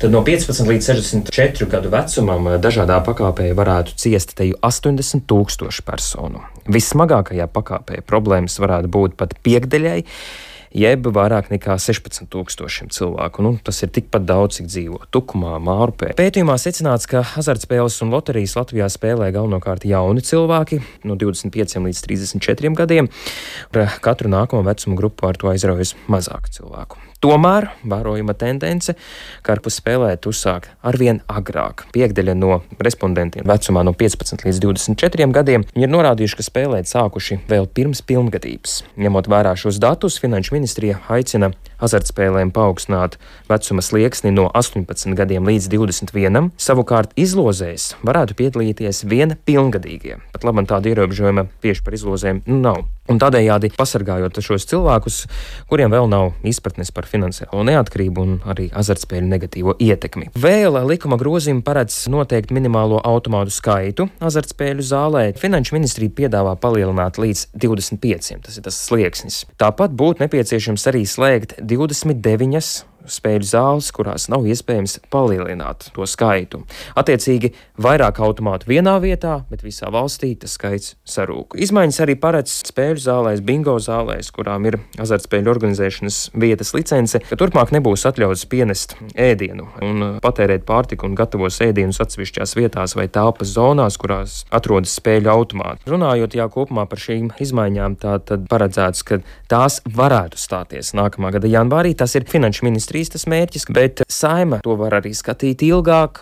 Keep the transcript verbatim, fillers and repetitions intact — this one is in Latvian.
Tad no piecpadsmit līdz sešdesmit četru gadu vecumam dažādā pakāpē varētu ciest teju astoņdesmit tūkstoši personu. Vissmagākajā pakāpē problēmas varētu būt pat piekdaļai, jeb vairāk nekā sešpadsmit tūkstošiem cilvēku. Nu, tas ir tikpat daudz, cik dzīvo Tukumā, Mārupē. Pētījumā secināts, ka azartspēles un loterijas Latvijā spēlē galvenokārt jauni cilvēki no divdesmit pieciem līdz trīsdesmit četriem gadiem. Ar katru nākamo vecuma grupu ar to aizraujas mazāk cilvēku. Tomēr vērojama tendence, ka ārpus spēlēt uzsāk arvien agrāk. Piekdaļa no respondentiem vecumā no piecpadsmit līdz divdesmit četriem gadiem ir norādījuši, ka spēlēt sākuši vēl pirms pilngadības. Ņemot vērā šos datus, Finanšu ministrija aicina azartspēlēm paaugstināt vecuma slieksni no astoņpadsmit gadiem līdz divdesmit vienam. Savukārt izlozēs varētu piedalīties vien pilngadīgie. Pat labam tāda ierobežojuma tieši par izlozēm nav. Un tādējādi pasargājot šos cilvēkus, kuriem vēl nav izpratnes par finansiālo neatkarību un arī azartspēļu negatīvo ietekmi. Vēl likuma grozījumi paredz noteikt minimālo automātu skaitu azartspēļu zālē. Finanšu ministrija piedāvā palielināt līdz divdesmit pieciem, tas ir tas slieksnis. Tāpat būtu nepieciešams arī slēgt divdesmit deviņas spēļu zāles, kurās nav iespējams palielināt to skaitu. Attiecīgi, vairāk automātu vienā vietā, bet visā valstī tas skaits sarūk. Izmaiņas arī paredz spēļu zālēs, bingo zālēs, kurām ir azartspēļu organizēšanas vietas licence, ka turpmāk nebūs atļauts pienest ēdienu un patērēt pārtiku un gatavos ēdienus atsevišķās vietās vai telpas zonās, kurās atrodas spēļu automāti. Runājot jā kopumā par šīm izmaiņām, tā tad paredzēts, ka tās varētu stāties nākamā gada janvārī. Tas ir Finanšu ministrijas tas mērķis, bet Saeima to var arī skatīt ilgāk,